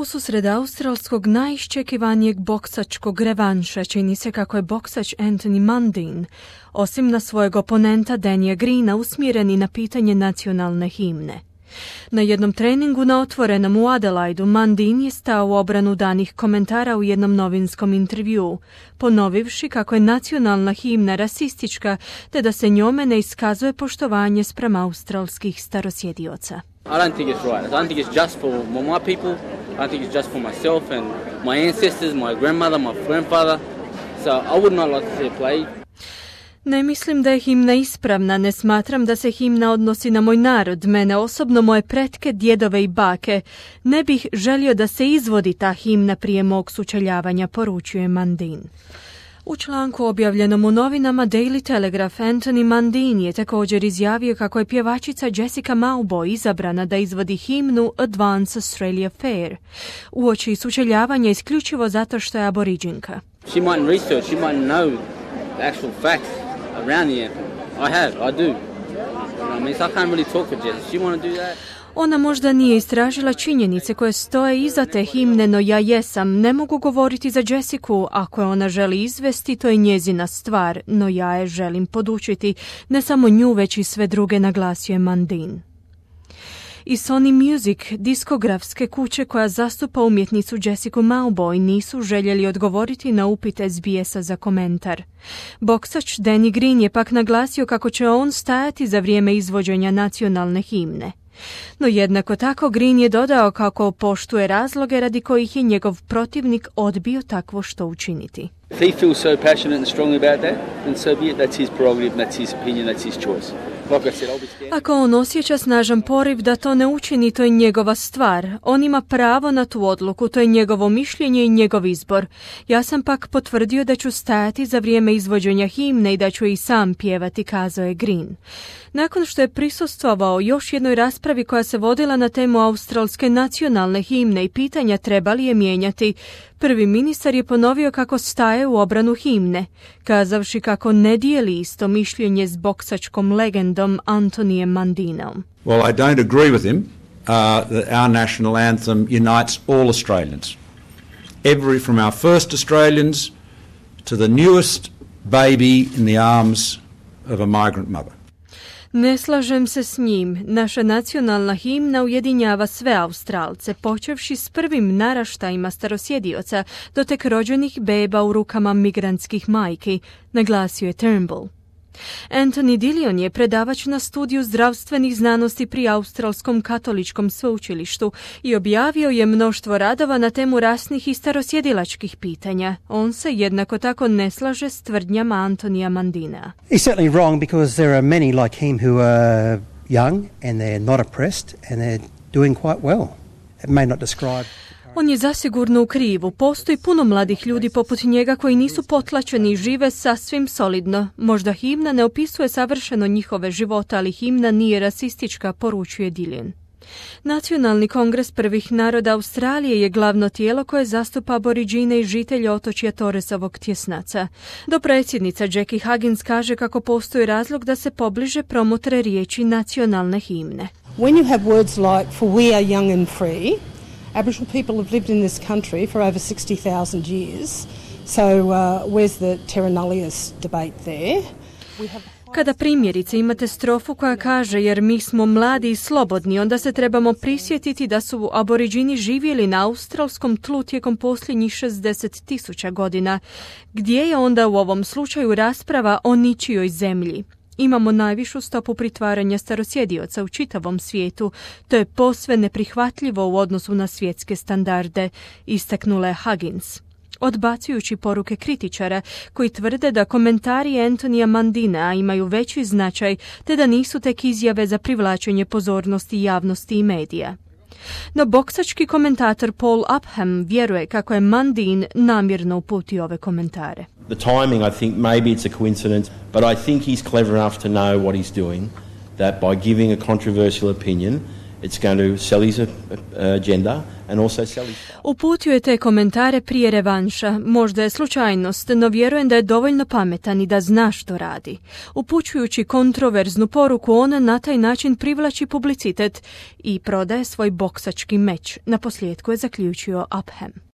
Ususred australskog najiščekivanijeg boksačkog revanša čini se kako je boksač Anthony Mundine, osim na svojeg oponenta Dania Greena, usmjereni na pitanje nacionalne himne. Na jednom treningu na otvorenom u Adelaidu Mundine je stao u obranu danih komentara u jednom novinskom intervjuu, ponovivši kako je nacionalna himna rasistička te da se njome ne iskazuje poštovanje spram australskih starosjedioca. I don't think it's right. I don't think it's just for my people. I don't think it's just for myself and my ancestors, my grandmother, my grandfather. So I would not like to see it played. Ne mislim da je himna ispravna, ne smatram da se himna odnosi na moj narod, mene osobno, moje pretke, djedove i bake. Ne bih želio da se izvodi ta himna prije mog sučeljavanja, poručuje Mundine. U članku objavljenom u novinama Daily Telegraph, Anthony Mundine je također izjavio kako je pjevačica Jessica Mauboy izabrana da izvodi himnu Advance Australia Fair, uoči sučeljavanja isključivo zato što je aboriđinka. She mightn't research, she mightn't know the actual facts around the anthem. I do. You know what I mean? So I can't really talk for Jessica. She want to do that? Ona možda nije istražila činjenice koje stoje iza te himne, no ja jesam. Ne mogu govoriti za Jessiku. Ako je ona želi izvesti, to je njezina stvar, no ja je želim podučiti. Ne samo nju, već i sve druge, naglasio je Mundine. I Sony Music, diskografske kuće koja zastupa umjetnicu Jessica Mauboy, nisu željeli odgovoriti na upit SBS-a za komentar. Boksač Danny Green je pak naglasio kako će on stajati za vrijeme izvođenja nacionalne himne. No jednako tako Green je dodao kako poštuje razloge radi kojih je njegov protivnik odbio takvo što učiniti. If he feels so passionate and strongly about that, then so be it. That's his prerogative, that's his opinion, that's his choice. Like I said, I'll be scared. Ako on osjeća snažan poriv da to ne učini, to je njegova stvar. On ima pravo na tu odluku, to je njegovo mišljenje i njegov izbor. Ja sam pak potvrdio da ću stajati za vrijeme izvođenja himne i da ću i sam pjevati, kazao je Green. Nakon što je prisustvovao još jednoj raspravi koja se vodila na temu australske nacionalne himne i pitanja treba li je mijenjati, prvi ministar je ponovio kako staje u obranu himne, kazavši kako ne dijeli isto mišljenje s boksačkom legendom Anthonyjem Mundineom. Well, I don't agree with him that our national anthem unites all Australians. From our first Australians to the newest baby in the arms of a migrant mother. Ne slažem se s njim. Naša nacionalna himna ujedinjava sve Australce, počevši s prvim naraštajima starosjedioca do tek rođenih beba u rukama migrantskih majki, naglasio je Turnbull. Anthony Dillon je predavač na studiju zdravstvenih znanosti pri Australskom katoličkom sveučilištu i objavio je mnoštvo radova na temu rasnih i starosjedilačkih pitanja. On se jednako tako ne slaže s tvrdnjama Anthonyja Mundinea. He's certainly wrong because there are many like him who are young and they're not oppressed and they're doing quite well. It may not describe. On je zasigurno u krivu. Postoji puno mladih ljudi poput njega koji nisu potlačeni i žive sasvim solidno. Možda himna ne opisuje savršeno njihove života, ali himna nije rasistička, poručuje Dillon. Nacionalni kongres prvih naroda Australije je glavno tijelo koje zastupa aboriđine i žitelje otočja Torresovog tjesnaca. Dopredsjednica Jackie Huggins kaže kako postoji razlog da se pobliže promotre riječi nacionalne himne. When you have words like for we are young and free, Aboriginal people have lived in this country for over 60,000 years, so where's the terra nullius debate there? Kada primjerice imate strofu koja kaže jer mi smo mladi i slobodni, onda se trebamo prisjetiti da su aboriđini živjeli na australskom tlu tijekom posljednjih 60,000 godina. Gdje je onda u ovom slučaju rasprava o ničijoj zemlji? Imamo najvišu stopu pritvaranja starosjedioca u čitavom svijetu. To je posve neprihvatljivo u odnosu na svjetske standarde, istaknula je Huggins, odbacujući poruke kritičara koji tvrde da komentari Anthonyja Mundinea imaju veći značaj te da nisu tek izjave za privlačenje pozornosti javnosti i medija. No boksački komentator Paul Upham vjeruje kako je Mundine namjerno uputio ove komentare. The timing, I think, maybe it's a coincidence, but I think he's clever enough to know what he's doing, that by giving a controversial opinion, It's going to sell his agenda and also sell his... Uputio je te komentare prije revanša. Možda je slučajnost, no vjerujem da je dovoljno pametan i da zna što radi. Upućujući kontroverznu poruku, on na taj način privlači publicitet i prodaje svoj boksački meč. Na posljedku je zaključio Upham.